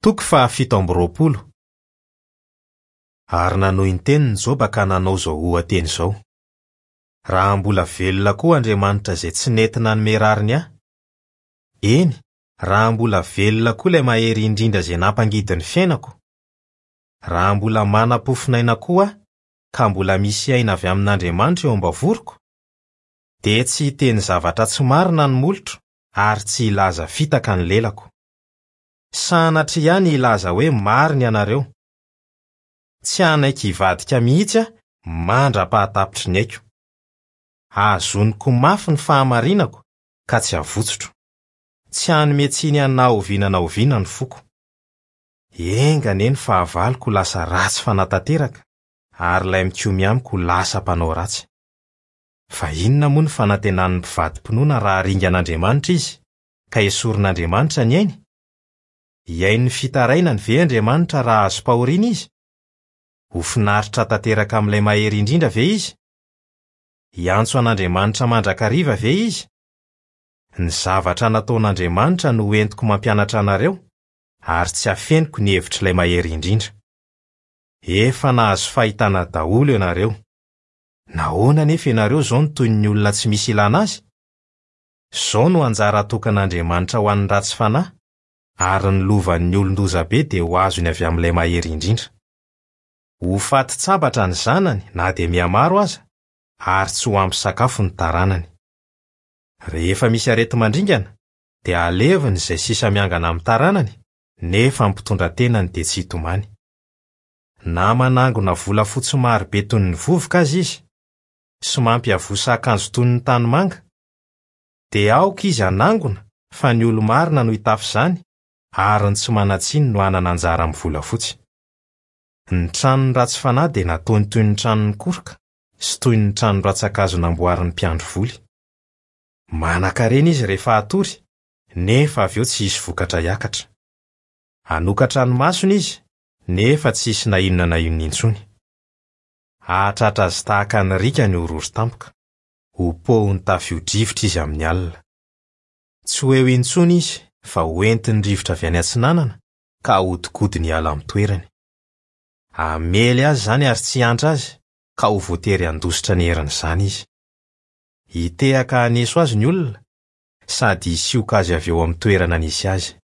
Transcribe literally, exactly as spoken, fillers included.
Toko fahafito amby roapolo. Ary nanohy ny teniny Joba ka nanao izao oha-teny izao: Raha mbola velona koa Andriamanitra izay tsy nety nanome rariny ahy, eny, raha mbola velona koa ilay mahery indrindra izay nampangidy ny fiainako, raha mbola manam-pofonaina koa aho ka mbola misy aina avy amin'Andriamanitra eo am-bavoroko, dia tsy hiteny zavatra tsy marina ny molotro ary tsy hilaza fitaka ny lelako. Sanatria ihany hilaza hoe marina ianareo. Tsy hanaiky hivadika mihitsy aho mandra-pahatapitry ny aiko. Hazoniko mafy ny fahamarinako ka tsy havotsotro. Tsy hanome tsiny ahy na oviana na oviana ny foko. Enga anie ny fahavaloko ho lasa ratsy fanahy ary ilay mikomy amiko ho lasa mpanao ratsy. Fa inona moa ny fanantenan'ny mpivadi-pinoana raha ringan'Andriamanitra izy, ka esorin'Andriamanitra ny ainy? Hihaino ny fitarainany ve Andriamanitra raha azom-pahoriana izy? Ho finaritra tanteraka amin'ilay mahery indrindra ve izy? Hiantso an'Andriamanitra mandrakariva ve izy? Ny zavatra nataon'Andriamanitra no entiko mampianatra anareo, ary tsy afeniko ny hevitr'ilay mahery indrindra. Efa nahazo fahitana daholo ianareo. Nahoana anefa ianareo izao no toy ny olona tsy misy ilana azy? Izao no anjara atokan'Andriamanitra ho an'ny ratsy fanahy, ary ny lovan'ny olon-dozabe dia ho azony avy amin'ilay mahery indrindra. Ho faty tsabatra ny zanany na dia mihamaro aza, ary tsy ho ampy sakafo ny taranany. Rehefa misy areti-mandringana, dia aleviny izay sisa miangana amin'ny taranany, nefa ny mpitondra tenany dia tsy hitomany. Na manangona volafotsy marobe toy ny vovoka aza izy, sy mampiavosa akanjo toy ny tanimanga, dia aoka izy hanangona fa ny olo-marina no hitafy izany, ary ny tsy manan-tsiny no hanana anjara amin'ny volafotsy. Ny tranon'ny ratsy fanahy dia nataony toy ny tranon'ny koroka sy toy ny trano rantsan-kazo namboarin'ny mpiandry voly. Manan-karena izy rehefa hatory, nefa avy eo tsy hisy vokatra hiakatra. Hanokatra ny masony izy, nefa tsy hisy na inona na inona intsony. Hahatratra azy tahaka ny riaka ny horohoro tampoka. Ho pohin'ny tafio-drivotra izy amin'ny alina. Tsy ho eo intsony izy fa ho entin'ny rivotra avy any atsinanana ka hahodikodiny hiala amin'ny toerany. Hamely azy izany ary tsy hiantra azy ka ho voatery handositra ny herin'izany izy. Hitehaka haneso azy ny olona sady hisioka azy avy eo amin'ny toerana nisy azy.